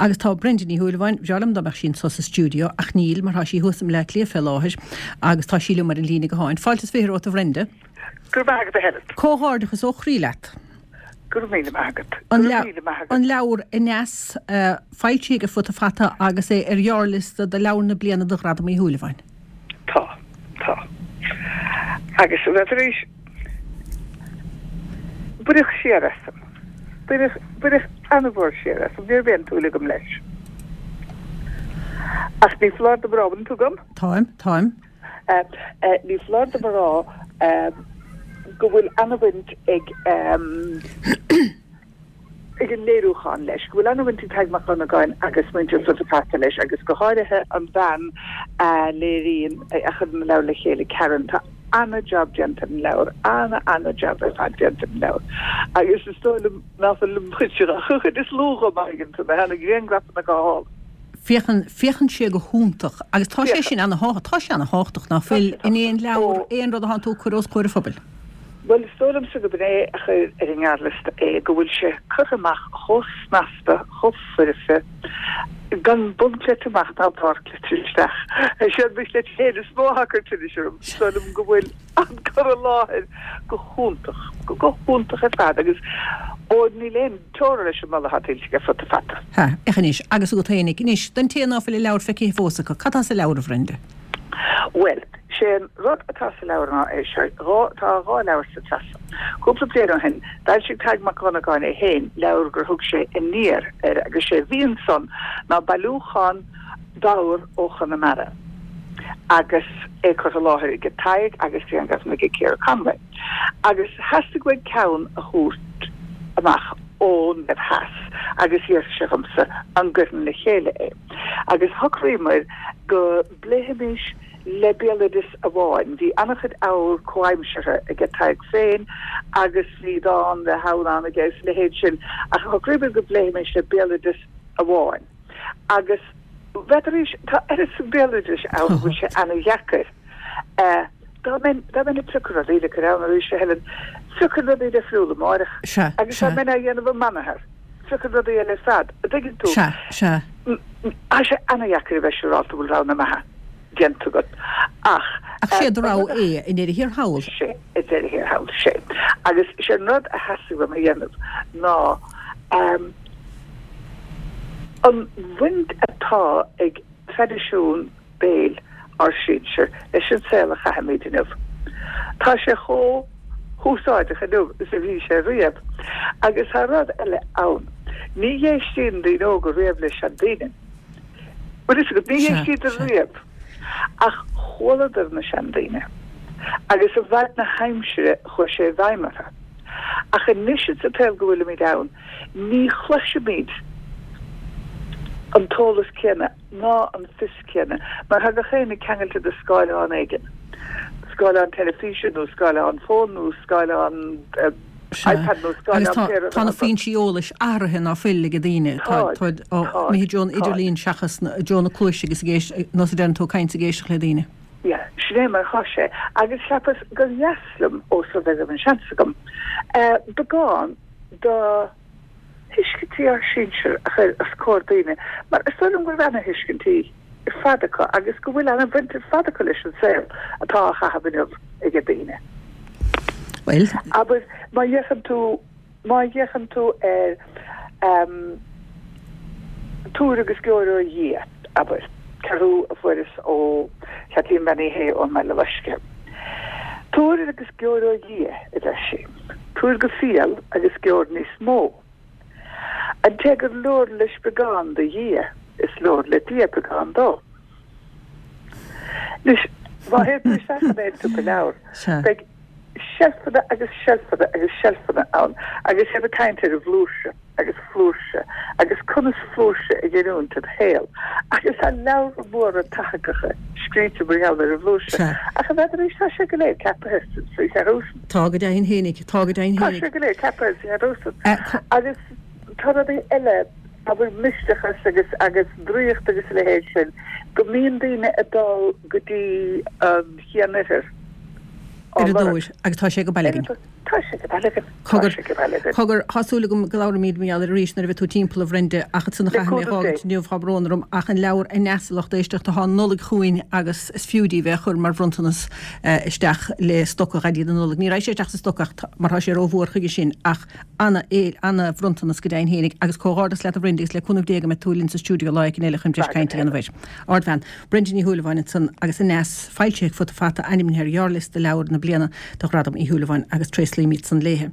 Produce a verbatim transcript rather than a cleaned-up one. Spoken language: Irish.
Agus tá Brenda Ní Shúilleabháin, bhreá liom dá mbeadh sí anso sa stiúideo, ach níl, mar tá sí thuas i mBleá Cliath fé láthair agus tá sí liom ar an líne gutháin. Fáilte is fiche romhat, a Bhrenda. Go raibh maith agat, a Helen. Comhghairdeachas ó chroí leat. Go raibh míle maith agat. An Go raibh míle maith agat. An leabhar Aneas, foilsithe ag Futa Fata agus é ar ghearrliosta do Leabhar na Bliana do Ghradam Uí Shúilleabháin. Tá. Tá. Agus a bheith tar éis Baineadh siar asam. Baineadh, baineadh an-mhór siar asam. Ní raibh aon tsúil agam leis. Ach ní foláir dom a rá, bhfuil tú agam? Táim, táim. Ní foláir dom a rá go bhfuil an-bhaint ag ag an léiriúchán leis, go bhfuil an-bhaint ag Tadhg Mac Dhonnagáin agus muintir Futa Fata leis agus go háirithe an bhean a léiríonn, a chuireann an leabhar le chéile, Karen. Tá ana-jab déanta ar an leabhar, ana-ana-jab ar fad déanta ar an leabhar agus is dóigh liom ná fuil muid ach an chuid is lú dhó má thuigeann tú mé, tá na griangrafanna go hálainn. Féachann, féachann sé go hiontach agus tá sé sin ana, tá sé ana-thábhachtach ná fuil in aon leabhar, aon rud atánn tú ag cur os comhair an phobail. Bhuel, is dóigh liomsa gurb in é a chuir ar an ngearrliosta é, go bhfuil sé curtha amach chomh snasta, chomh foirfe, gan bun cleite amach ná barr cleite isteach. Is é mo chleite féin is mó atá ag cur tinnis orm. Is dóigh liom go bhfuil an cur i láthair go hiontach, go hiontach ar fad agus, ó, níl aon teora leis an moladh atá tuillte ag Futa Fata. Ha, féach anois, agus agat fhéinig. Anois, don té ná fuil an leabhar feicthe fós acu, cad tá sa leabhar, a Bhrenda? Bhuel, sé an rud atá sa leabhar ná é seo, dhá, tá dhá leabhar sa tsraith seo. Cúpla bliain ó shin, d'fhoilsigh Tadhg Mac Dhonnagáin é féin leabhar gur thug sé Aniar air agus sé a bhí ansan ná bailiúchán d'abhar ó Chonamara agus é curtha i láthair aige Tadhg agus grianghrafanna aige Ciara Conway. Agus theastaigh uaidh ceann a thabhairt amach ón dtaobh theas agus d'iarr sé dhomsa an gcuirfinn le chéile é. Agus shocraíomair go bpléifimis le béaloideas amháin. Bhí an-chuid abhar comhaimseartha aige Tadhg féin agus bhí dán le hamhrán aige agus a leithéid sin ach shocraíomar go bpléifimis le béaloideas amháin. Agus b'fhéidir, tá oiread san béaloidis ann go bhfuil sé ana-dheacair. Dá mbeinn, dá mbeinn ag piocadh rudaí le cur ann arís, a Helen, phiocfainn rudaí difriúla amáireach. Sea, Agus dá sea. mbeinn á dhéanamh amanathar, phiocfainn rudaí eile ar fad, a' dtuigeann tú? Sea, sea. Tá sé ana-dheacair a bheith siúrálta go bhfuil rogha na maithe déanta agat ach. Ach sé do rogha é i ndeireadh thiar thall. Sé, i ndeireadh thiar thall, sé. Agus sé an rud a theastaigh uaim a dhéanamh ná an bhaint atá ag traidisiún béil ár sinsir leis an saol a chaithimid inniu. Tá sé chomh húsáideach inniu is a bhí sé riamh. Agus tá rud eile ann, ní dh'éistíonn daoine óga riamh le seandaoine. Bhfuil fhios agat, ní dh'éistíodar riamh. Ach chualadar na seandaoine, agus i bhfad na haimsire chuaigh sé i bhfeidhm orthu. Ach anois sa tsaol go bhfuilimid ann, ní chloisimid an t-eolas céanna ná an fios céanna, mar tá gach éinne ceangailte de scáileán éigin, scáileán teilifíse nó scáileán fóin nó scáileán Sea. iPad nó Agus scáileán tá, pé rud tá na atá acu. foinsí eolais athraithe ná fuil ag daoine. Tá, Táid, táid á táid, imithe i dtreo an táid. idirlín seachas na, i dtreo na cluaise agus ag éist, nós a deireann tú, ag caint is ag éisteacht le daoine. Yeah, sin é mar atá sé. Agus cheapas gur dheas liom, ós rud é go raibh an seans agam, eh, beagán de thuiscintí ár sinsear a chur os comhair daoine, mar is dóigh liom go raibh ana-thuiscintí ar fad acu agus go bhfuil ana-bhaint ar fad acu leis an saol atá á chaitheamh inniu ag daoine. Bhuel. Abair, má fhéachann tú, má fhéachann tú ar Tabhair agus Geobhair ó Dhia, abair, ceathrú a fuaireas ó Chaitlín Bean Uí Shé ón mBaile Loiscthe. Tabhair agus geobhair ó Dhia, a deir sí. Tabhair go fial agus geobhair níos mó. An té gur leor leis beagán do Dhia, is leor le Dia beagán dó. Anois, má théann tú isteach in aon siopa leabhar, beidh seilfeanna agus seilfeanna agus seilfeanna ann agus iad ag caint ar an bhflúirse. agus flúirse agus conas flúirse a ghiniúint i do shaol agus tá leabhra móra tathagacha scríte mar gheall ar an bhflúirse ach n'fheadar tá sé go léir ceapaithe sa cheathrú san. Tá go deimhin fhéinig, tá go deimhin Tá fhéinig. sé go léir ceapaithe sa cheathrú san agus tá rudaí eile, abair misteachas agus agus draíocht agus a leithéid sin, go mbíonn daoine ag dul go dtí an Chian-Oirthear á Ar a lorg. dtóir agus tá sé go baile againn. Tá sé go breá againn. Tá Cogar, sé go breá againn. cogar, tá súil agam go labhróimid mar gheall air arís nuair a bheidh tú timpeall, a Bhrenda, ach ansan a Le chaithfidh mé a cúnamh Dé. fhágaint inniu, tá brón orm, ach an leabhar Aneas a lucht éisteachta, tá an Nollaig chugainn agus is fiú daoibh é a chur mar bhronntanas isteach le stoca Dhaidí na Nollag. Ní raghaidh sé isteach sa stoca ach mar tá sé rómhór chuige sin ach ana, ana bhronntanas go deimhin fhéinig agus comhghairdeas leat a Bhrenda agus le cúnamh Dé go mbeidh tú linn sa stiúideo lá éicint eile chun breis cainte a dhéanamh air. Ardbhean. Brenda Ní Shúilleabháin ansan agus Aneas foilsithe ag Futa Fata ainmnithe ar ghearrliosta leabhar na bliana do Ghradam Uí Shúilleabháin agus tréaslaímid san léithe.